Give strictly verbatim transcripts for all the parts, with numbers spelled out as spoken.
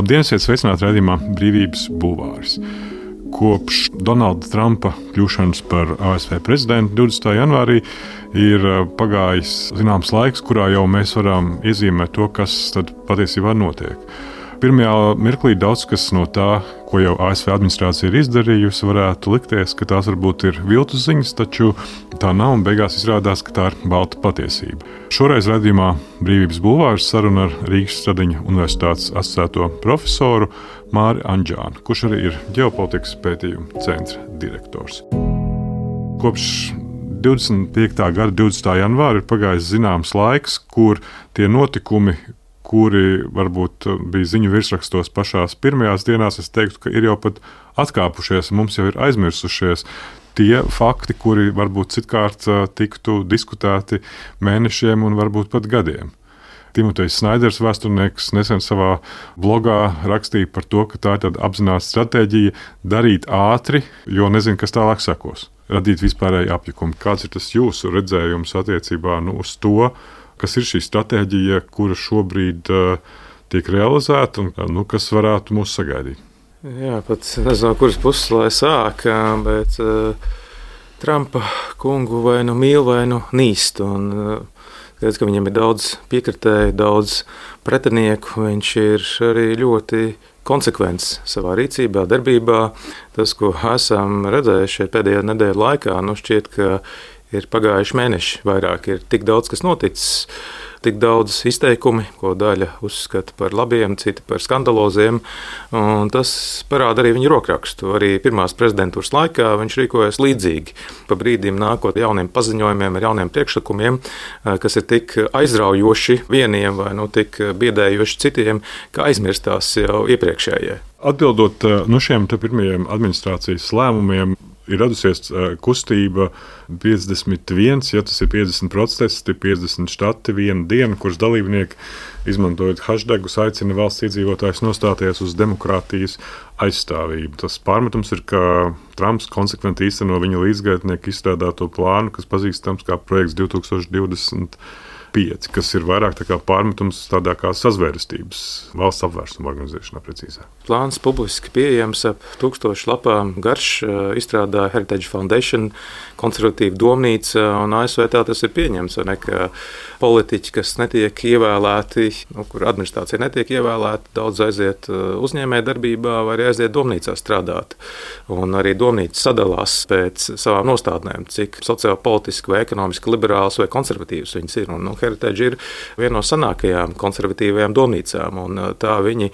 Labdien, esiet sveicināti raidījumā Brīvības bulvāris. Kopš Donalda Trumpa kļūšanas par A S V prezidentu divdesmitā janvārī ir pagājis zināms laiks, kurā jau mēs varam iezīmēt to, kas tad patiesībā notiek. Pirmajā mirklī daudz kas no tā, ko jau A S V administrācija ir izdarījusi, varētu likties, ka tās varbūt ir viltus ziņas, taču tā nav un beigās izrādās, ka tā ir balta patiesība. Šoreiz raidījumā Brīvības bulvāris saruna ar Rīgas Stradiņa Universitātes asociēto profesoru Māri Andžānu, kurš arī ir ģeopolitikas pētījumu centra direktors. Kopš divdesmit piektā gada divdesmitā janvāra ir pagājis zināms laiks, kur tie notikumi, kuri varbūt bija ziņu virsrakstos pašās pirmajās dienās, es teiktu, ka ir jau pat atkāpušies, mums jau ir aizmirsušies tie fakti, kuri varbūt citkārt tiktu diskutēti mēnešiem un varbūt pat gadiem. Timotejs Snaiders, vēsturnieks, nesen savā blogā rakstīja par to, ka tā ir tāda apzināta stratēģija darīt ātri, jo nezinu, kas tālāk sekos. Radīt vispārēju apjukumu. Kāds ir tas jūsu redzējums attiecībā nu, uz to, kas ir šī stratēģija, kura šobrīd uh, tiek realizēta un nu, kas varētu mūs sagaidīt? Jā, pat nezinu, kuras puses lai sāk, bet uh, Trumpa kungu vai nu mīl, vai nu nīst. Un, uh, Skaidrs, ka viņam ir daudz piekritēju, daudz pretinieku. Viņš ir arī ļoti konsekvents savā rīcībā, darbībā. Tas, ko esam redzējuši pēdējā nedēļa laikā, nu šķiet, ka ir pagājuši mēneši vairāk, ir tik daudz, kas noticis, tik daudz izteikumi, ko daļa uzskata par labiem, citi par skandaloziem, un tas parāda arī viņa rokrakstu. Arī pirmās prezidentūras laikā viņš rīkojas līdzīgi, pa brīdim nākot jauniem paziņojumiem, ar jauniem priekšlikumiem, kas ir tik aizraujoši vieniem vai nu tik biedējoši citiem, ka aizmirstās jau iepriekšējie. Atbildot no šiem te pirmajiem administrācijas lēmumiem, ir radusies kustība piecdesmit viens, ja tas ir piecdesmit protesti, piecdesmit štati viena diena, kuras dalībnieki, izmantojot hashtagus, aicina valsts iedzīvotājus nostāties uz demokrātijas aizstāvību. Tas pārmetums ir, ka Trumps konsekventi īsteno viņa līdzgaitnieku izstrādāto plānu, kas pazīstams kā projekts divi tūkstoši divdesmit pieci, kas ir vairāk tā kā pārmetums tādā kā sazvērestības valsts apvērsuma organizēšanā precīzāk. Plāns publiski pieejams ap tūkstošu lapām garš, izstrādāja Heritage Foundation, konservatīva domnīca, un A S V tā tas ir pieņemts, ne, ka politiķi, kas netiek ievēlēti, nu, kur administrācija netiek ievēlēta, daudz aiziet uzņēmē darbībā vai arī aiziet domnīcā strādāt. Un arī domnīca sadalās pēc savām nostādnēm, cik sociāli, politiski vai ekonomiski liberāls vai konservatīvs viņas ir. Un, nu, Heritage ir viena no senākajām konservatīvajām domnīcām, un tā viņi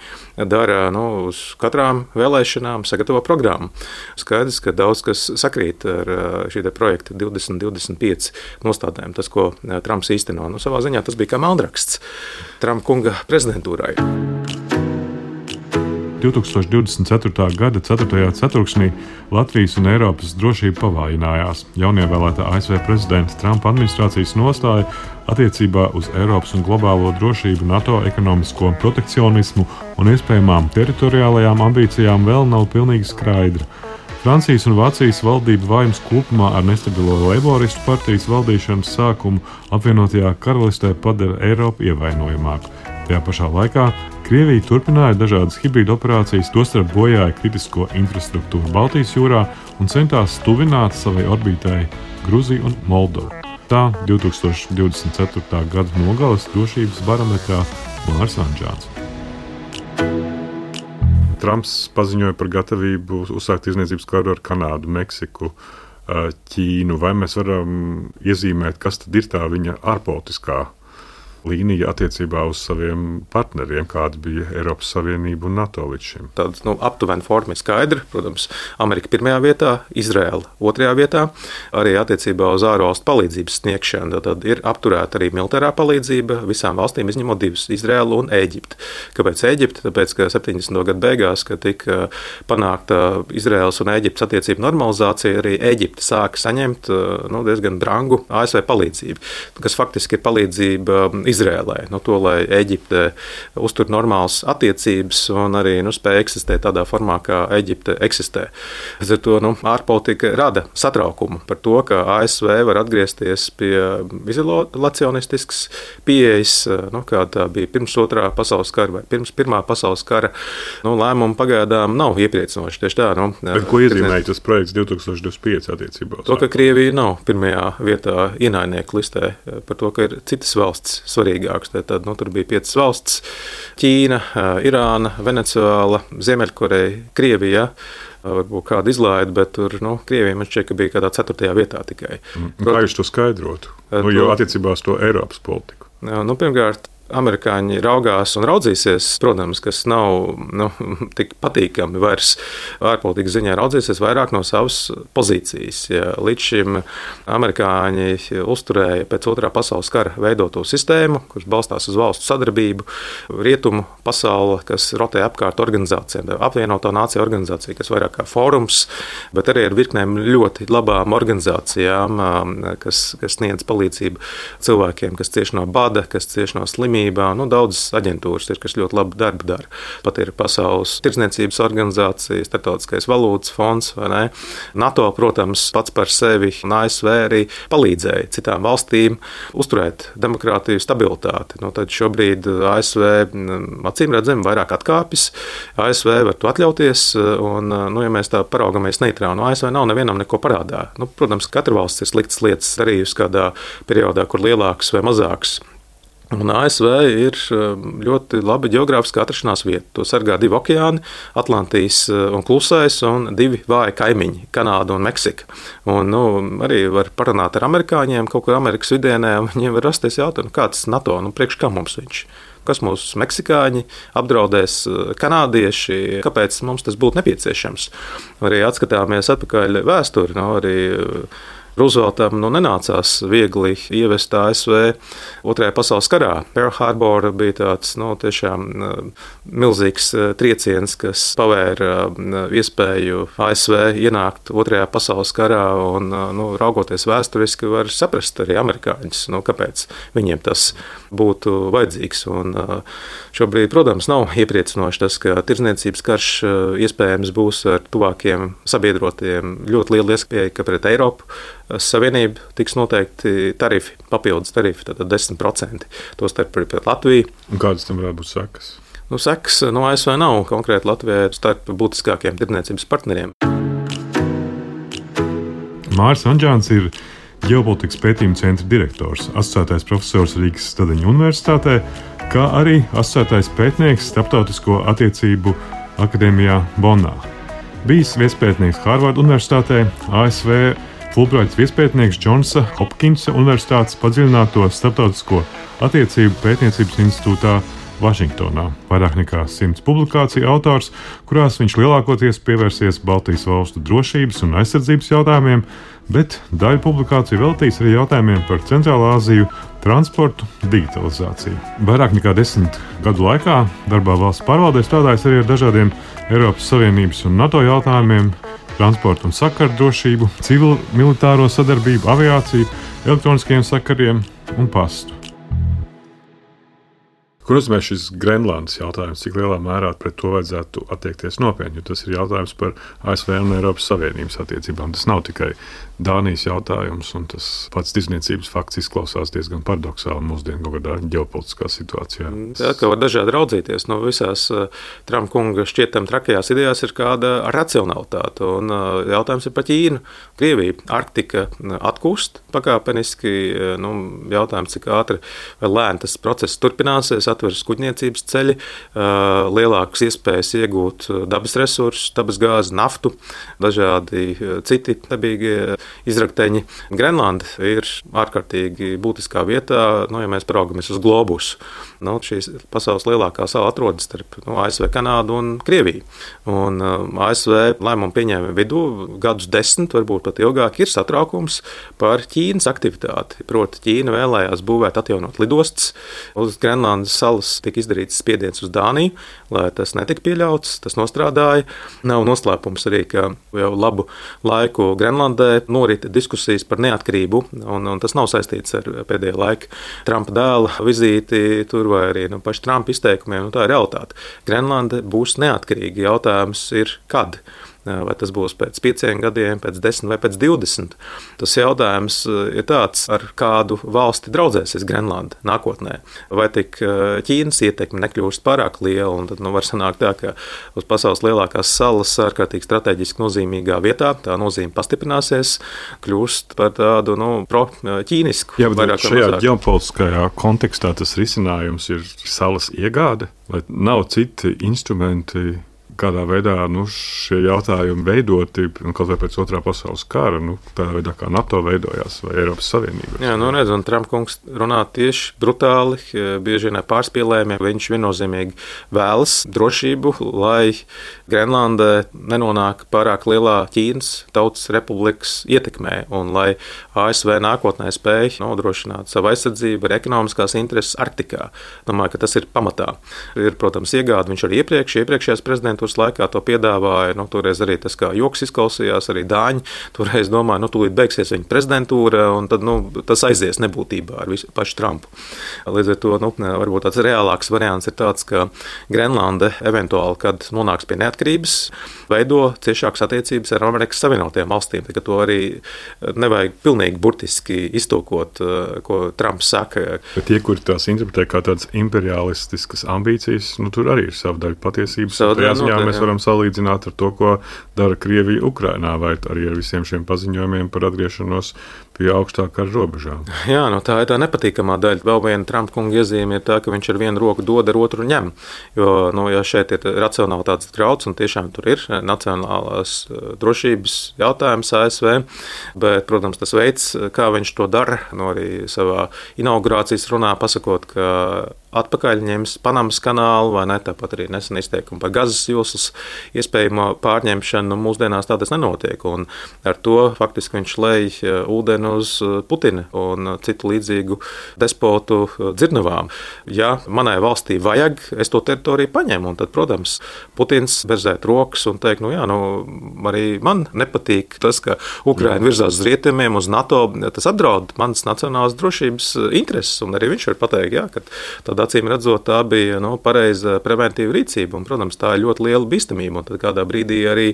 dara nu, uz katrām vēlēšanām, sagatavo programmu. Skaidrs, ka daudz kas sakrīt ar šī projekta divdesmit divdesmit pieci nostādnēm, tas, ko Trumps īsteno. Nu, savā ziņā tas bija kā meldraksts Trumpa kunga prezidentūrai. divi tūkstoši divdesmit ceturtā gada ceturtajā ceturksnī Latvijas un Eiropas drošība pavājinājās. Jaunievēlētā A S V prezidenta Trumpa administrācijas nostāja attiecībā uz Eiropas un globālo drošību, NATO ekonomisko protekcionismu un iespējamām teritoriālajām ambīcijām vēl nav pilnīgi skaidra. Francijas un Vācijas valdība vājums kopumā ar nestabilo Leiboristu partijas valdīšanas sākumu apvienotajā karalistē padara Eiropu ievainojamāku. Tajā pašā laikā Krievija turpināja dažādas hibrīdu operācijas, tostarp bojāja kritisko infrastruktūru Baltijas jūrā un centās tuvināt savai orbītai Gruziju un Moldovu. Tā divi tūkstoši divdesmit ceturtā gada nogales drošības barometrā Māris Andžāns. Trumps paziņoja par gatavību uzsākt tirdzniecības karu ar Kanādu, Meksiku, Ķīnu. Vai mēs varam iezīmēt, kas tad ir tā viņa ārpolitiskā līnija attiecībā uz saviem partneriem, kāda bija Eiropas Savienība un NATO līdz šim? Tāda nu, aptuvena forma ir skaidra. Protams, Amerika pirmajā vietā, Izraela otrajā vietā. Arī attiecībā uz ārvalstu palīdzības sniegšanu tad ir apturēta arī militārā palīdzība visām valstīm, izņemot divas - Izraelu un Ēģipti. Kāpēc Ēģipte? Tāpēc, ka septiņdesmito gadu beigās, kad tika panākta Izraels un Ēģiptes attiecību normalizācija, arī Ēģipte sāka saņemt nu, diezgan brangu A S V palīdzību, kas faktiski ir palīdzība Izrēlai. Nu, to, lai Eģipte uztur normālas attiecības un arī nu, spēj eksistēt tādā formā, kā Eģipte eksistē. Līdz ar to nu, ārpolitika rada satraukumu par to, ka A S V var atgriezties pie izolacionistiskas pieejas, nu, kāda tā bija pirms otrā pasaules kara vai pirms pirmā pasaules kara. Nu, lēmumi pagaidām nav iepriecinoši. Tieši tā, nu, Bet ko iezīmēja tas projekts divtūkstoš divdesmit pieci attiecībā? To, ka Krievija nav pirmajā vietā ienaidnieku listē, par to, ka ir citas valsts svarīgākas. Tad, nu, tur bija piecas valsts - Ķīna, Irāna, Venecuēla, Ziemeļkoreja, Krievija. Varbūt kāda izlaide, bet tur nu, Krievija man šķiet, ka bija kādā ceturtajā vietā tikai. Protams, kā jūs to skaidrotu? Nu, jo attiecībā uz to Eiropas politiku. Nu, pirmkārt, amerikāņi raugās un raudzīsies, protams, kas nav nu, tik patīkami vairs ārpolitikas ziņā raudzīsies vairāk no savas pozīcijas. Ja līdz šim amerikāņi uzturēja pēc otrā pasaules kara veidoto sistēmu, kurš balstās uz valstu sadarbību, rietumu pasauli, kas rotē apkārt organizācijām, apvienoto nāciju organizācija, kas vairāk kā fórums, bet arī ar virknēm ļoti labām organizācijām, kas, kas sniedz palīdzību cilvēkiem, kas cieši no bada, kas cieši no slimības. Nu, daudzas aģentūras ir, kas ļoti labu darbu dara. Pat ir Pasaules tirdzniecības organizācija, Startautiskais valūtas fonds, vai ne? NATO, protams, pats par sevi un A S V arī palīdzēja citām valstīm uzturēt demokrātiju, stabilitāti. Nu, tad šobrīd A S V acīm redzami vairāk atkāpjas. A S V var to atļauties, un, nu, ja mēs tā paraugamies neitrāli, no A S V nav nevienam neko parādā. Nu, protams, katra valsts ir sliktas lietas darījusi kādā periodā, kur lielākas vai mazākas. Un A S V ir ļoti laba geogrāfiskā atrašanās vieta. To sargā divi okeāni, Atlantijas un Klusais, un divi vāji kaimiņi, Kanāda un Meksika. Un, nu, arī var parunāt ar amerikāņiem, kaut kur Amerikas vidienē, un viņiem var rasties jautājumu, kāds ir NATO, nu, priekš kā mums viņš? Kas mūs meksikāņi apdraudēs, kanādieši, kāpēc mums tas būtu nepieciešams? Arī atskatāmies atpakaļ vēsturi, no, arī Rooseveltam nu, nenācās viegli ievest A S V otrajā pasaules karā. Pearl Harbor bija tāds nu, tiešām milzīgs trieciens, kas pavēra iespēju A S V ienākt otrajā pasaules karā. Un, nu, raugoties vēsturiski, var saprast arī amerikāņus, nu, kāpēc viņiem tas būtu vajadzīgs. Un, šobrīd, protams, nav iepriecinoši tas, ka tirdzniecības karš iespējams būs ar tuvākiem sabiedrotiem. Ļoti liela iespēja, ka pret Eiropu Savienība tiks noteikti tarifi, papildus tarifi, tātad desmit procenti. Tostarp arī pret Latviju. Un kādas tam varētu būt sekas? Nu, sekas no A S V nav konkrēti Latvijai starp būtiskākiem tirdzniecības partneriem. Māris Anģāns ir ģeopolitikas pētījuma centra direktors, asociētais profesors Rīgas Stadeņu universitātē, kā arī asociētais pētnieks Starptautisko attiecību akadēmijā Bonnā. Bijis viespētnieks Harvarda universitātē, A S V Fulbraits viespētnieks Džonsa Hopkinsa universitātes padziļināto starptautisko attiecību pētniecības institūtā Vašingtonā. Vairāk nekā simts publikāciju autors, kurās viņš lielākoties pievērsies Baltijas valstu drošības un aizsardzības jautājumiem, bet daļu publikāciju veltīs arī jautājumiem par Centrālā Āziju, transportu, digitalizāciju. Vairāk nekā desmit gadu laikā darbā valsts pārvaldē strādājis arī ar dažādiem Eiropas Savienības un NATO jautājumiem, transportu un sakaru drošību, civil-militāro sadarbību, aviāciju, elektroniskiem sakariem un pastu. Ko nozīmē šis Grenlandes jautājums, cik lielā mērā pret to vajadzētu attiekties nopietni, jo tas ir jautājums par A S V un Eiropas Savienības attiecībām. Tas nav tikai Dānijas jautājums, un tas pats tirdzniecības fakts izklausās diezgan paradoxāli mūsdienu kaut kādā ģeopolitiskā situācijā. Jā, ka var dažādi raudzīties. No visās Trumpa kunga šķietam trakajās idejās ir kāda racionalitāte, un jautājums ir par Ķīnu. Krievija, Arktika atkūst pakāpeniski, nu, jautājums, cik ātri vai lēni tas process turpināsies, atveras kuģniecības ceļi, lielākas iespējas iegūt dabas resursus, dabas gāzi, naftu, dažādi citi dabīgie izrakteņi. Grenlanda ir ārkārtīgi būtiskā vietā, nu, ja mēs paraugamies uz globusu. Nu, šīs pasaules lielākā sala atrodas starp nu, A S V, Kanādu un Krieviju. Un A S V lēmumu pieņēma vidū gadus desmit, varbūt pat ilgāk, ir satraukums par Ķīnas aktivitāti. Proti, Ķīna vēlējās būvēt, atjaunot lidostas uz Grenlandas salas tika izdarīts spiediens uz Dāniju, lai tas netika pieļauts, tas nostrādāja. Nav noslēpums arī, ka jau labu laiku Grenlandē norita diskusijas par neatkarību, un, un tas nav saistīts ar pēdējā laika Trumpa dēla vizīti tur vai arī nu, paši Trumpa izteikumiem. Nu, tā ir realitāte. Grenlande būs neatkarīga. Jautājums ir, kad? Vai tas būs pēc pieciem gadiem, pēc desmit vai pēc divdesmit. Tas jautājums ir tāds, ar kādu valsti draudzēsies Grenlande nākotnē. Vai tik Ķīnas ietekme nekļūst pārāk liela, un tad nu, var sanākt tā, ka uz pasaules lielākās salas ārkārtīgi strateģiski nozīmīgā vietā tā nozīme pastiprināsies, kļūst par tādu nu, pro-ķīnisku. Jā, bet šajā ģeopolitiskajā kontekstā tas risinājums ir salas iegāde, vai nav citi instrumenti, kādā veidā nu, šie jautājumi veidoti, kaut vai pēc otrā pasaules kara, nu, tādā veidā kā NATO veidojās vai Eiropas Savienība. Jā, nu redz, un Trump kungs runā tieši brutāli, bieži vien ar pārspīlējumiem. Viņš viennozīmīgi vēlas drošību, lai Grenlandē nenonāk pārāk lielā Ķīnas Tautas Republikas ietekmē, un lai A S V nākotnē spēj nodrošināt savu aizsardzību ar ekonomiskās intereses Arktikā. Domāju, ka tas ir pamatā. Ir, protams, iegāde, viņš arī iepriekš, iepriekšējās prezidentūras laikā to piedāvāja. Nu, toreiz arī tas kā joks izklausījās, arī Dāņi. Toreiz domāja, nu, tūlīt beigsies viņa prezidentūra, un tad nu, tas aizies nebūtībā ar visu pašu Trumpu. Līdz ar to nu, varbūt tāds reālāks variants ir tāds, ka Grenlande eventuāli, kad nonāks pie neatkarības, veido ciešākas attiecības ar Amerikas Savienotajām valstīm. Tā, to arī nevajag pilnīgi burtiski iztulkot, ko Trumps saka. Bet tie, kuri tās interpretē kā tādas imperialistiskas ambīcijas, nu, tur arī ir sava daļa patiesības. Jā, mēs varam salīdzināt ar to, ko dara Krievija Ukrainā, vai arī ar visiem šiem paziņojumiem par atgriešanos pie augstākā robežām. Jā, nu tā ir tā nepatīkamā daļa. Vēl viena Trumpa kunga iezīme ir tā, ka viņš ar vienu roku dod, ar otru ņem. Jo, nu, ja šeit ir racionalitātes grauds, un tiešām tur ir nacionālās drošības jautājums A S V, bet, protams, tas veids, kā viņš to dara, nu arī savā inaugurācijas runā pasakot, ka atpakaļ ņems Panamas kanālu, vai ne, tāpat arī nesen izteikumu par Gazas joslas iespējamo pārņemšanu. Nu, mūsdienās tā tas nenotiek, un ar to faktiski viņš lej ūdeni uz Putina un citu līdzīgu despotu dzirnavām. Ja manai valstī vajag, es to teritoriju paņemu, un tad, protams, Putins berzēt rokas un teikt, nu jā, nu arī man nepatīk tas, ka Ukraina virzās uz rietumiem, uz NATO, tas apdraud manas nacionālās drošības intereses, un arī viņš var pateikt, jā, ka tad acīm redzot, tā bija nu, pareiza preventīva rīcība, un, protams, tā ir ļoti liela bīstamība, un tad kādā brīdī arī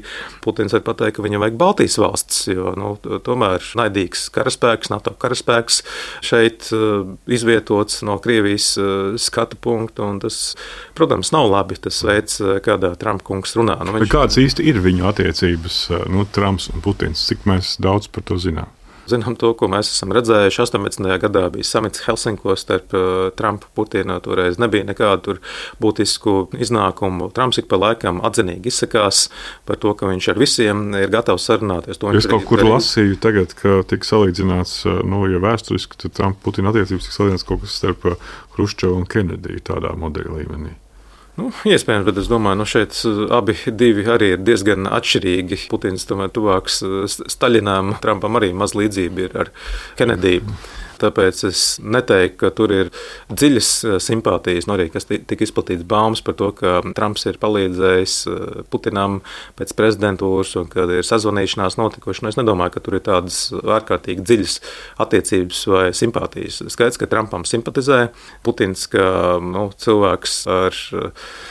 Putins var pateikt, ka viņam vajag Baltijas valsts, jo, nu, tomēr naidīgs karaspēks, NATO karaspēks šeit uh, izvietots no Krievijas uh, skatu punktu, un tas, protams, nav labi, tas veids, kādā Trumpa kungs runā. Nu, viņš... Kāds īsti ir viņu attiecības, nu, Trumps un Putins? Cik mēs daudz par to zinām? Zinām to, ko mēs esam redzējuši. astoņpadsmitajā gadā bija samits Helsinkos starp Trumpu un Putinu. Toreiz nebija nekādu būtisku iznākumu. Trumps ik pa laikam atzinīgi izsakās par to, ka viņš ar visiem ir gatavs sarunāties. To es kaut kur darīt. Lasīju tagad, ka tika salīdzināts, nu, ja vēsturiski, tad Trumpa un Putina attiecības tika salīdzināts kaut kas starp Hruščovu un Kenediju tādā modeļa līmenī. Nu, iespējams, bet es domāju, ka nu šeit abi divi arī ir diezgan atšķirīgi. Putins tomēr tuvāks Staļinam, Trumpam arī maz līdzība ir ar Kenediju. Tāpēc es neteiktu, ka tur ir dziļas simpātijas, nu arī kas tika izplatīts baumas par to, ka Trumps ir palīdzējis Putinam pēc prezidentūras un kad ir sazvanīšanās notikuši. Nu, es nedomāju, ka tur ir tādas ārkārtīgi dziļas attiecības vai simpātijas. Skaidrs, ka Trumpam simpatizē Putins, ka nu, cilvēks ar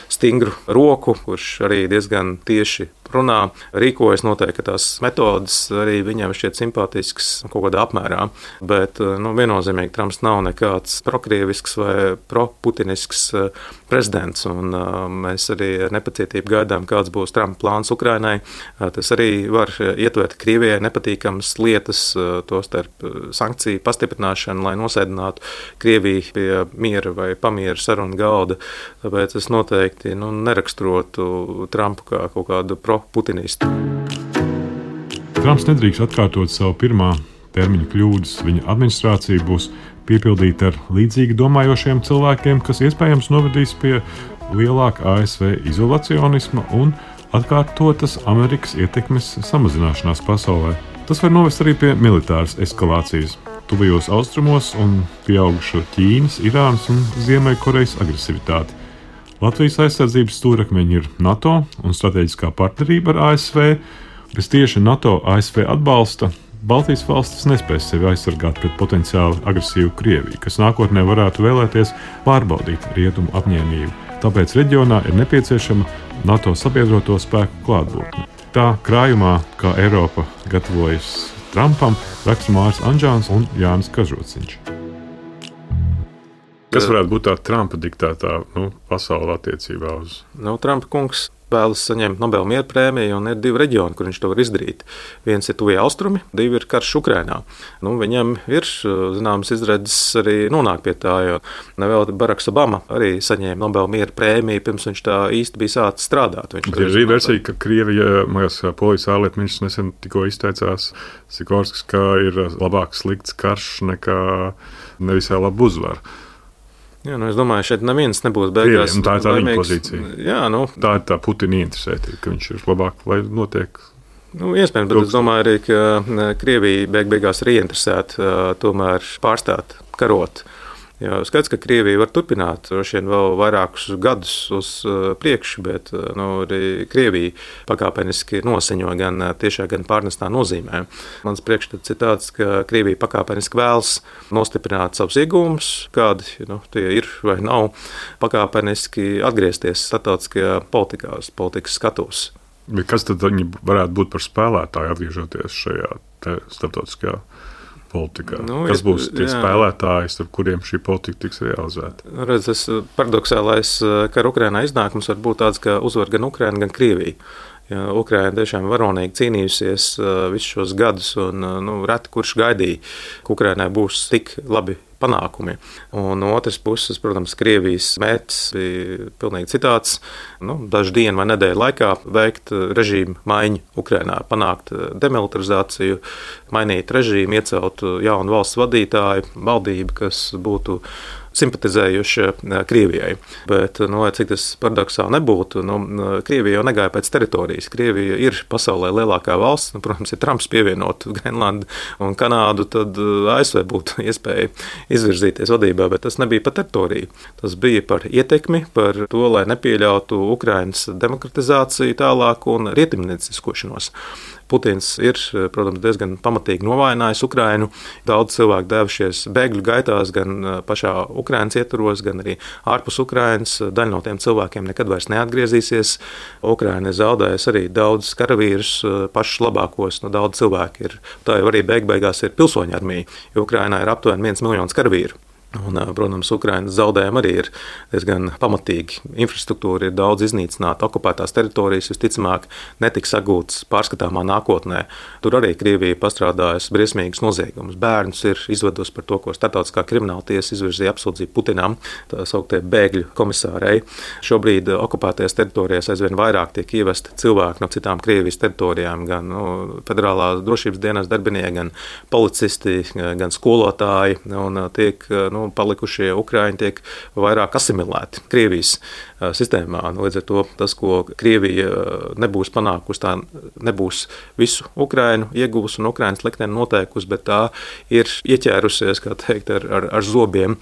stingru roku, kurš arī diezgan tieši runā, rīkojas noteikti, ka tās metodas arī viņam šķiet simpātiskas kaut kādā apmērā, bet nu, viennozīmīgi Trumps nav nekāds prokrievisks vai proputinisks prezidents, un mēs arī ar nepacietību gaidām, kāds būs Trumpa plāns Ukrainai. Tas arī var ietvert Krievijai nepatīkamas lietas, to starp sankciju pastiprināšanu, lai nosēdinātu Krieviju pie miera vai pamiera sarunu galda. Tāpēc es noteikti nu, neraksturotu Trumpu kā kaut kādu pro-putinistu. Trumps nedrīkst atkārtot savu pirmā termiņa kļūdas. Viņa administrācija būs piepildīta ar līdzīgi domājošiem cilvēkiem, kas iespējams novedīs pie lielāka A S V izolacionisma un atkārtotas Amerikas ietekmes samazināšanās pasaulē. Tas var novest arī pie militāras eskalācijas. tuvajos austrumos un pieauguša Ķīnas, Irānas un Ziemeļkorejas agresivitāti. Latvijas aizsardzības stūrakmeņi ir NATO un strateģiskā partnerība ar A S V. Bez tieši NATO-A S V atbalsta Baltijas valstis nespēs sevi aizsargāt pret potenciāli agresīvu Krieviju, kas nākotnē varētu vēlēties pārbaudīt rietumu apņēmību. Tāpēc reģionā ir nepieciešama NATO sabiedroto spēku klātbūtne. Tā krājumā, kā Eiropa gatavojas Trumpam, raksta Māris Anžāns un Jānis Kažociņš. Kas varētu būt tā Trumpa diktētā nu, pasaule attiecībā uz? Nu, Trumpa kungs vēlas saņemt Nobela miera prēmiju, un ir divi reģioni, kur viņš to var izdarīt. Viens ir tuvie austrumi, divi ir karš Ukrainā. Nu, viņam ir zināmas izredzes arī nonākt pie tā, jo nevēl Baraks Obama arī saņēma Nobela miera prēmiju, pirms viņš tā īsti bija sācis strādāt. Viņš ir arī versija, ka Krievija, mājas polijas ārlietu ministrs nesen tikko izteicās, Sikorskis, ka ir labāk slikts karš nekā nevisai labu uzvaru. Jā, nu es domāju, šeit neviens nebūs beigās. Krievija, tā ir tā viņa pozīcija. Jā, nu. Tā ir tā Putina interesētība, ka viņš ir labāk, lai notiek. Nu, iespējams, bet es domāju arī, ka Krievija beig beigās ir ieinteresēta tomēr pārstāt karot. Jā, skaidrs, ka Krievija var turpināt vien vēl vairākus gadus uz priekšu, bet nu, arī Krievija pakāpeniski noseņo gan tiešā, gan pārnestā nozīmē. Mans priekšstats ir tāds, ka Krievija pakāpeniski vēlas nostiprināt savus iegūmus, kādi nu, tie ir vai nav, pakāpeniski atgriezties starptautiskajā politikā, politikas skatos. Bet kas tad viņi varētu būt par spēlētāju atgriežoties šajā starptautiskajā politikā? Nu, kas būs tie jā. spēlētāji, ar kuriem šī politika tiks realizēta? Redz, tas paradoxālais kara Ukrainā iznākums var būt tāds, ka uzvar gan Ukraina, gan Krievija. Ja, Ukraina tiešām varonīgi cīnījusies visus šos gadus, un nu, reti kurš gaidīja, ka Ukrainai būs tik labi panākumi. Un no otras puses, protams, Krievijas mērķis bija pilnīgi citāds. Nu, dažu dienu vai nedēļu laikā veikt režīmu maiņu Ukrainā, panākt demilitarizāciju, mainīt režīmu, iecelt jaunu valsts vadītāju, valdību, kas būtu simpatizējuši Krievijai. Bet, nu, cik tas paradoxāli nebūtu, nu, Krievija jau negāja pēc teritorijas. Krievija ir pasaulē lielākā valsts. Nu, protams, ja Trumps pievienotu Grenlandu un Kanādu, tad A S V būtu iespēja izvirzīties vadībā, bet tas nebija par teritoriju. Tas bija par ietekmi, par to, lai nepieļautu Ukrainas demokratizāciju tālāk un rietumnieciskošanos. Putins ir, protams, diezgan pamatīgi novājinājis Ukrainu. Daudz cilvēku devušies bēgļu gaitās, gan pašā Ukrainas ietvaros, gan arī ārpus Ukrainas. Daļa no tiem cilvēkiem nekad vairs neatgriezīsies. Ukraina ir zaudējusi arī daudz karavīrus, pašus labākos, no daudz cilvēku ir. Tā jau arī beig beigās ir pilsoņu armija, jo Ukrainā ir aptuveni viens miljons karavīru. Un, protams, Ukrainas zaudējumi arī ir diezgan pamatīgi. Infrastruktūra ir daudz iznīcināta, okupētās teritorijas visticamāk netiks atgūtas pārskatāmā nākotnē. Tur arī Krievija pastrādājusi briesmīgus noziegumus. Bērnus ir izvedusi par to, ko starptautiskā krimināla tiesa izvirzīja apsūdzību Putinam, tā sauktie bēgļu komisārei. Šobrīd okupētajās teritorijās aizvien vairāk tiek ievesti cilvēki no citām Krievijas teritorijām, gan nu, federālā drošības dienas darbinieki, gan policisti, gan skolotāji, un tiek nu, palikušie Ukraiņi tiek vairāk asimilēti Krievijas sistēmā. Līdz ar to tas, ko Krievija nebūs panākusi, tā nebūs visu Ukrainu ieguvusi un Ukrainas likteni noteikusi, bet tā ir ieķērusies, kā teikt, ar, ar, ar zobiem.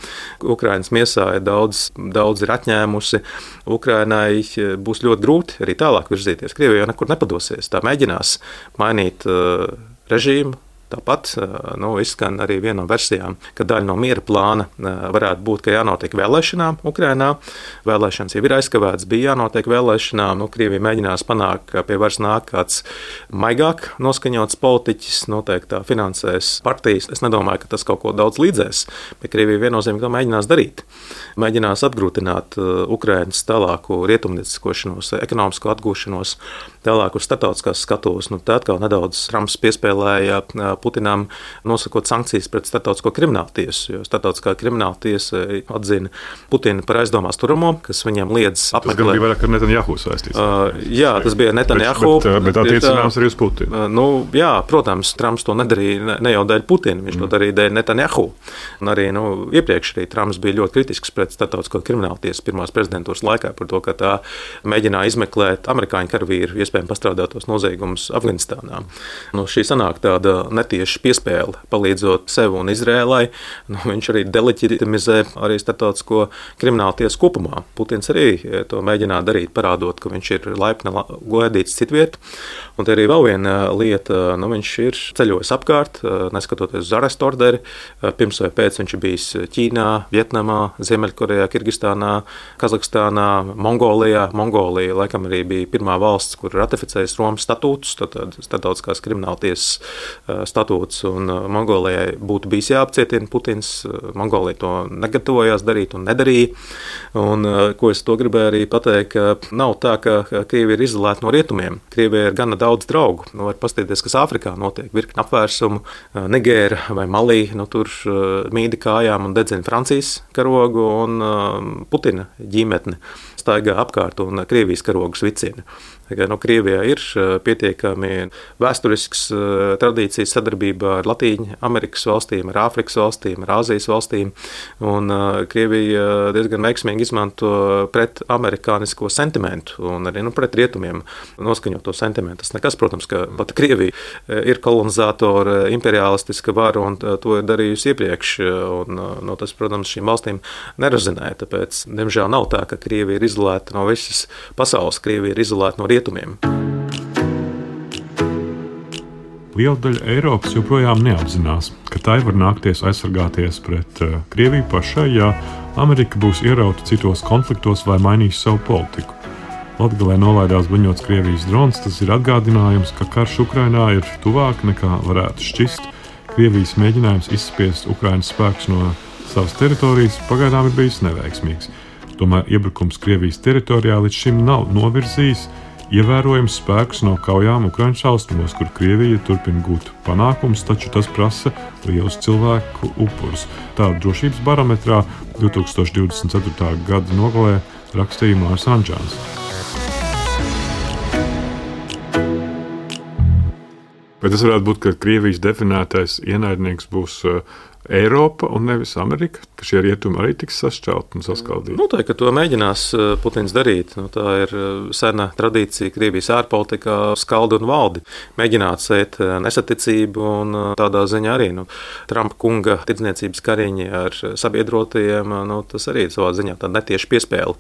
Ukrainas miesā ir daudz, daudz ir atņēmusi. Ukrainai būs ļoti grūti arī tālāk virzīties. Krievija jau nekur nepadosies. Tā mēģinās mainīt uh, režīmu. Tāpat nu, izskan arī viena no versijām, ka daļa no miera plāna varētu būt, ka jānotiek vēlēšanām Ukrainā. Vēlēšanas jau ir aizkavētas, bija jānotiek vēlēšanām. Nu, Krievija mēģinās panākt, ka pie varas nāk kāds maigāk noskaņots politiķis, noteikti tā finansēs partijas. Es nedomāju, ka tas kaut ko daudz līdzēs, bet Krievija viennozīmīgi to mēģinās darīt. Mēģinās apgrūtināt Ukrainas tālāku rietumnieciskošanos, ekonomisko atgūšanos, tālāk uz starptautiskās skatuves. Nu, tā atkal nedaudz Trumps piespēlēja Putinam nosakot sankcijas pret starptautisko kriminālu tiesu, jo starptautiskā krimināla tiesa atzina Putinu par aizdomās turamo, kas viņam liedz apmeklēt. Tas gan bija vairāk ar Netanjahu saistīts. Uh, jā, tas bija Netanjahu. Bet, bet, bet attiecinājums arī uz Putinu. Uh, nu, jā, protams, Trumps to nedarīja ne, ne jau dēļ Putina, viņš mm. to darīja dēļ Netanjahu. Un arī nu, iepriekš arī Trumps bija ļoti kritisks pret starptautisko kriminālu tiesu pirmās prezidentūras laikā par to, ka tā mēģināja izmeklēt amerikāņu karavīru iespējami pastrādātos noziegumus Afganistānā. Nu, šī sanāk tāda netieši piespēle, palīdzot sev un Izrēlai. Nu, viņš arī deleģitimizē arī starptautisko kriminālu tiesu kopumā. Putins arī to mēģināja darīt, parādot, ka viņš ir laipni gaidīts citviet. Un te arī vēl viena lieta, nu, viņš ir ceļojis apkārt, neskatoties uz arestu orderi. Pirms vai pēc viņš ir bijis Ķīnā, Vietnamā, Ziemeļkorejā, Kirgistānā, Kazahstānā, Mongolijā. Mongolija laikam arī bija pirmā valsts, kur ratificējas Romas statūtus, tad starptautiskās krimināltiesas statūtus, un Mongolijai būtu bijis jāapcietina Putins. Mongolija to negatavojās darīt un nedarīja. Un, ko es to gribēju arī pateikt, ka nav tā, ka Krievija ir izolēta no rietumiem. Krievija ir gana daudz draugu. Nu, var paskatīties, kas Āfrikā notiek, virkni apvērsumu, Nigēra vai Malī, nu, tur mīdi kājām un dedzina Francijas karogu un Putina ģimetni staigā apkārt un Krievijas karogus vicina. Nu, Krievijā ir pietiekami vēsturisks tradīcijas sadarbībā ar Latīņu Amerikas valstīm, ar Āfrikas valstīm, ar Āzijas valstīm, un Krievija diezgan veiksmīgi izmanto pret amerikānisko sentimentu un arī nu, pret rietumiem noskaņoto sentimentu. Tas nekas, protams, ka pat Krievija ir kolonizatora, imperialistiska vara un to ir darījusi iepriekš, un no tas, protams, šīm valstīm nerazinē, tāpēc, diemžēl, nav tā, ka Krievija ir izolēta no visas pasaules, Krievija ir izolēta no rietumiem. Liela daļa Eiropas joprojām neapzinās, ka tai var nākties aizsargāties pret uh, Krieviju pašai, ja Amerika būs ierauta citos konfliktos vai mainīs savu politiku. Latgalē nolaidās bruņots Krievijas drons, tas ir atgādinājums, ka karš Ukrainā ir tuvāk nekā varētu šķist. Krievijas mēģinājums izspiest Ukrainas spēkus no savas teritorijas pagaidām ir bijis neveiksmīgs. Tomēr iebrukums Krievijas teritorijā līdz šim nav novirzījis ievērojams spēkus no kaujām Ukrainas austrumos, kur Krievija turpina gūt panākumus, taču tas prasa lielus cilvēku upurus. Tā drošības barometrā divtūkstoš divdesmit ceturtā gada nogalē rakstīja Mārs Anģāns. Vai tas varētu būt, ka Krievijas definētais ienaidnieks būs Eiropa un nevis Amerika, ka šie rietumi arī tiks sašķelti un saskaldīti? Noteikti, ka to mēģinās Putins darīt. Nu, tā ir sena tradīcija Krievijas ārpolitikā skaldi un valdi. Mēģināt sēt nesaticību un tādā ziņā arī nu, Trumpa kunga tirdzniecības kariņi ar sabiedrotajiem, nu, tas arī savā ziņā tāda netieši piespēle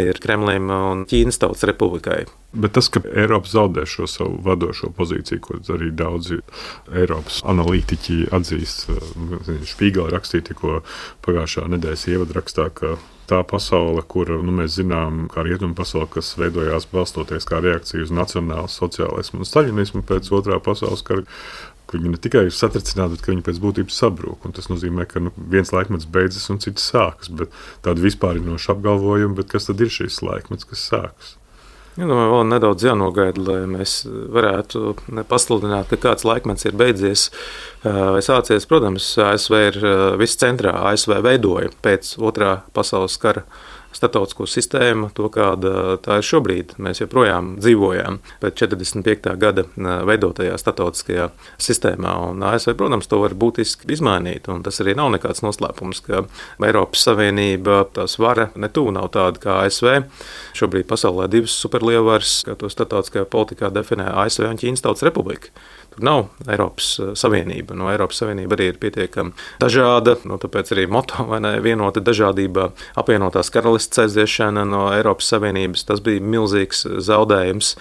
ir Kremlim un Ķīnas Tautas Republikai. Bet tas, ka Eiropa zaudē šo savu vadošo pozīciju, ko arī daudzi Eiropas analītiķi atzīst, Špīgela rakstīja tikko pagājušā nedēļas ievadrakstā, ka tā pasaule, kura nu, mēs zinām, kā rietumu pasaule, kas veidojās balstoties kā reakcija uz nacionālu sociālismu un staļinismu pēc otrā pasaules kara, ka viņi ne tikai ir satricināti, bet ka viņi pēc būtības sabrūk. Un tas nozīmē, ka nu, viens laikmets beidzas un cits sākas. Bet tāda vispārinoša apgalvojuma, bet kas tad ir šīs laikmets, kas sākas? Ja, nu, vēl nedaudz jānogaida, lai mēs varētu pasludināt, ka kāds laikmets ir beidzies vai sācies. Protams, A S V ir viss centrā. A S V veidoja pēc otrā pasaules kara starptautisko sistēmu, to kāda tā ir šobrīd. Mēs joprojām dzīvojam pēc četrdesmit piektā gada veidotajā starptautiskajā sistēmā. Un A S V, protams, to var būtiski izmainīt. Un tas arī nav nekāds noslēpums, ka Eiropas Savienība, tās vara netuvu nav tāda kā A S V. Šobrīd pasaulē divas superlielvaras, kā to starptautiskajā politikā definē A S V un Ķīnas Tautas Republika. Tur nav Eiropas Savienība. No Eiropas Savienība arī ir pietiekami dažāda, no tāpēc arī moto vai ne vienota dažādībā. Apvienotās karalistes aiziešana no Eiropas Savienības, tas bija milzīgs zaudējums.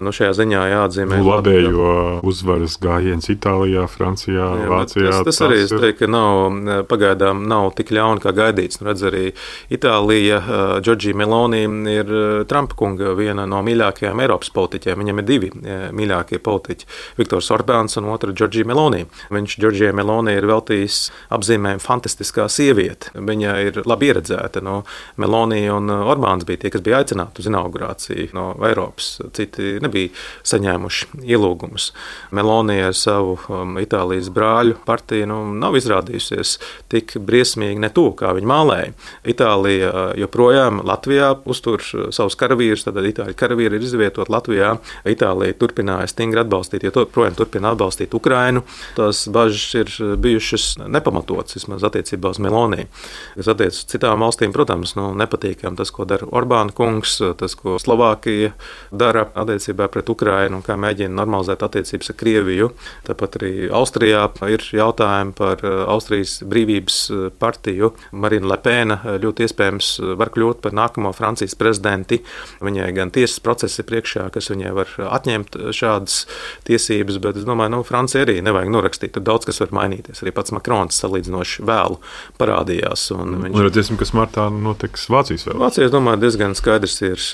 Nu, šajā ziņā jāatzīmē. Labējo uzvaras gājiens Itālijā, Francijā, jā, Vācijā. Tas, tas arī, es teiktu, ka nav, pagaidām nav tik ļauni, kā gaidīts. Nu, redz arī Itālija, Giorgia Meloni ir Trumpa kunga viena no mīļākajām Eiropas politiķiem. Viņam ir divi mīļākie politiķi. Viktors Orbāns un otra Giorgia Meloni. Viņš Giorgia Meloni ir veltījis apzīmējumu fantastiskā sieviete. Viņa ir labi ieredzēta. No Meloni un Orbāns bija tie, kas bija aicināti uz inaugurāciju no Eiropas. Citi nebija saņēmuši ielūgumus. Meloni ar savu um, Itālijas brāļu partiju nu, nav izrādījusies tik briesmīgi ne to, kā viņi mālēja. Itālija joprojām Latvijā uztur savus karavīrus, tad Itāļu karavīri ir izvietot Latvijā. Itālija turpināja stingri atbalstīt, jo to projām turpināja turpina atbalstīt Ukrainu. Tās bažas ir bijušas nepamatotas, vismaz attiecībā uz Meloni. Kas attiecas uz citām valstīm, protams, nu, nepatīkam tas, ko dara Orbāna kungs, tas, ko Slovākija dara attiecībā pret Ukrainu, kā mēģina normalizēt attiecības ar Krieviju. Tāpat arī Austrijā ir jautājumi par Austrijas brīvības partiju. Marina Lepēna ļoti iespējams var kļūt par nākamo Francijas prezidenti. Viņai gan tiesas procesi priekšā, kas viņai var atņemt šādas tiesības, bet es domāju, nu, Francija arī nevajag norakstīt. Tur daudz kas var mainīties. Arī pats Makrons salīdzinoši vēlu parādījās. Un viņš... Un redzēsim, kas martā notiks Vācijas vēl. Vācijā, es domāju, diezgan skaidrs ir.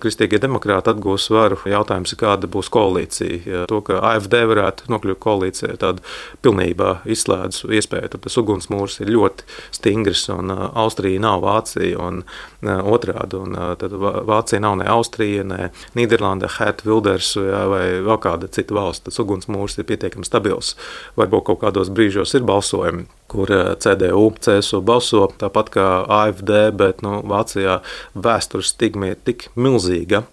Kristīgie demokrāti atgūs varu. Jautājums ir, kāda būs koalīcija. To, ka A F D varētu nokļūt koalīcijā, tāda pilnībā izslēdz iespēju. Tad tas ugunsmūrs ir ļoti stingrs, un Austrija nav Vācija, un otrādi. Un tad Vācija nav ne Austrija, ne Nīderlanda, Hert Wilders vai vēl kāda cita valsts. Tas ugunsmūrs ir pietiekami stabils. Varbūt kaut kādos brīžos ir balsojumi, kur C D U, C S U balso tāpat kā A F D, bet nu, Vācijā vēstures stigma ir tik milzīga,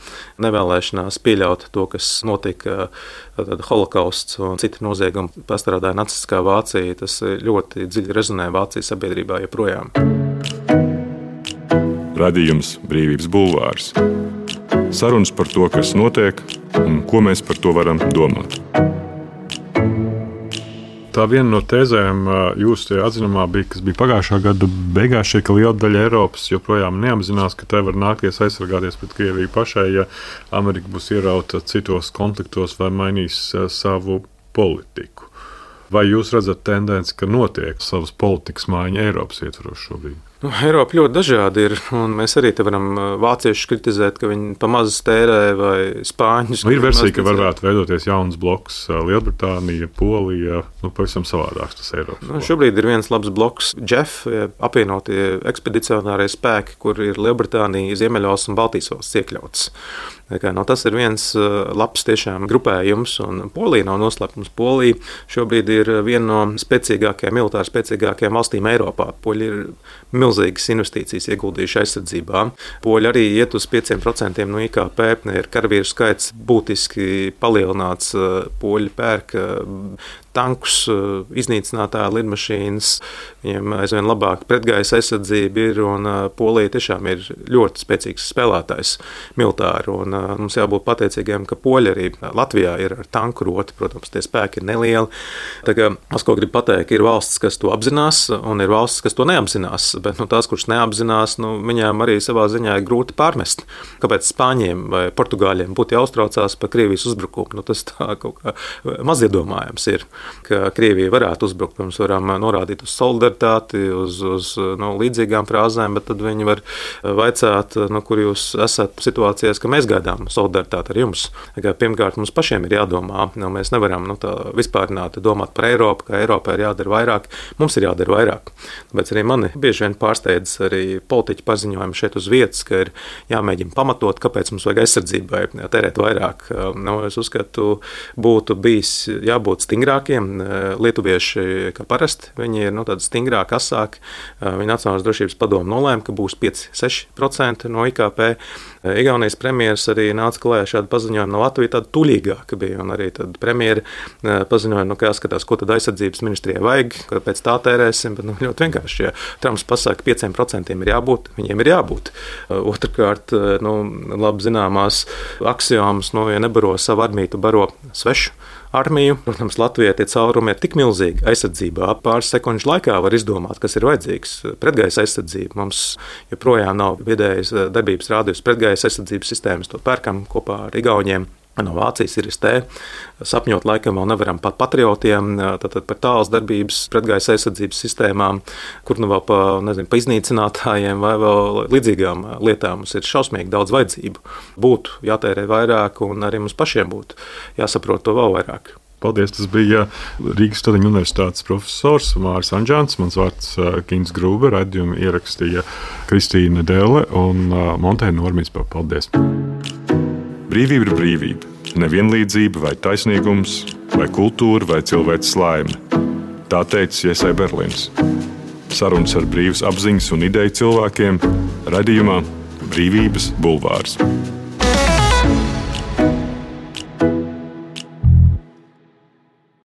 nevēlēšanās pieļaut to, kas notika, tad holokausts un citi noziegumi pastrādāja nacistiskā Vācija. Tas ļoti dziļi rezonē Vācijas sabiedrībā joprojām. Radījums Brīvības bulvārs. Sarunas par to, kas notiek un ko mēs par to varam domāt. Tā viena no tēzēm jūsu atzinumā bija, kas bija pagājušā gada beigās, šeit, ka liela daļa Eiropas joprojām neapzinās, ka tai var nākties aizsargāties pret Krieviju pašai, ja Amerika būs ierauta citos konfliktos vai mainīs savu politiku. Vai jūs redzat tendenci, ka notiek savas politikas maiņa Eiropas ietvaros šobrīd? Nu, Eiropa ļoti dažādi ir, un mēs arī te varam vāciešus kritizēt, ka viņi pamazs tērē, vai spāņus. Nu, ir versija, ka varētu veidoties jauns bloks Lielbritānija, Polija, nu, pavisam savādāks tas Eiropas. Nu, šobrīd ir viens labs bloks J E F, apvienotie ekspedicionārie spēki, kur ir Lielbritānija, Ziemeļvalsts un Baltijas valsts iekļauts. Kā, no, tas ir viens labs tiešām grupējums, un Polija nav noslēpums. Polija šobrīd ir viena no spēcīgākajām, militāri spēcīgākajām valstīm Eiropā. Poļi ir milzīgas investīcijas ieguldījuši aizsardzībā. Poļi arī iet uz pieciem procentiem no I K P, ir karavīru skaits būtiski palielināts, poļi pērk tankus, iznīcinātāja lidmašīnas, viņiem aizvien labāk pretgaisa aizsardzība ir, un Polija tiešām ir ļoti spēcīgs spēlētājs militāri, un mums jābūt pateicīgiem, ka poļi arī Latvijā ir ar tanku roti, protams, tie spēki ir nelieli. Tā kā, es ko gribu pateikt, ir valsts, kas to apzinās, un ir valsts, kas to neapzinās, bet nu, tās, kuras neapzinās, nu, viņām arī savā ziņā ir grūti pārmest. Kāpēc Spāņiem vai Portugāļiem būtu jāuztraucās par Krievijas uzbrukumu? Nu, tas tā kaut kā maziedomājams ir, ka Krievija varētu uzbrukt. Mums varam norādīt uz solidaritāti, uz, uz nu, līdzīgām frāzēm, bet tad viņi var vaicāt, nu, kur jūs esat situācijās, ka mēs gaidām solidaritāti ar jums. Kā, pirmkārt, mums pašiem ir jādomā. Nu, mēs nevaram nu, tā vispārināti domāt par Eiropu, ka Eiropā ir jādara vairāk. Mums ir jādara vairāk. Tāpēc arī mani bieži vien pārsteidz arī politiķu paziņojumi šeit uz vietas, ka ir jāmēģina pamatot, kāpēc mums vajag aizsardzībai tērēt vairāk. Nu, es uzskatu, būtu bijis jābūt stingrākiem. Lietuvieši, kā parasti, viņi ir nu, tādi stingrāki, asāki. Viņa Nacionālās drošības padome nolēma, ka būs pieci līdz seši procenti no I K P. Igaunijas premjeras arī nāca klājā šādu paziņojumu, no Latvija tāda tuļīgāka bija, un arī tad premjera paziņoja, nu, kā skatās, ko tad aizsardzības ministrijai vajag, kāpēc tā tērēsim, bet nu, ļoti vienkārši, ja Trumps pasaka, pieciem procentiem ir jābūt, viņiem ir jābūt. Otrkārt, nu, labi zināmās aksiomas, nu, ja nebaro savu armiju, tu baro svešu armiju. Protams, Latvijai tie caurumi ir tik milzīgi aizsardzībā. Pāris sekundžu laikā var izdomāt, kas ir vajadzīgs. Pretgaisa aizsardzība. Mums joprojām nav vidējas darbības rādījus pretgaisa aizsardzības sistēmas. To pērkam kopā ar Igauniem. No Vācijas ir S T. Sapņot laikam vēl nevaram pat patriotiem, tātad par tāls darbības pretgaisa aizsardzības sistēmām, kur nu vēl pa, nezinu, pa iznīcinātājiem vai vēl līdzīgām lietām mums ir šausmīgi daudz vajadzību. Būtu jātērē vairāk, un arī mums pašiem būtu jāsaprot to vēl vairāk. Paldies, tas bija Rīgas Staļiņu universitātes profesors Māris Anžants, mans vārds Kins Grūber, raidījumu ierakstīja Kristīna Delle un Montēna Normīs. Paldies! Brīvība ir brīvība, nevienlīdzība vai taisnīgums, vai kultūra vai cilvēks laime. Tā teica Iesai Berlins. Sarunas ar brīvas apziņas un ideju cilvēkiem raidījumā Brīvības bulvārs.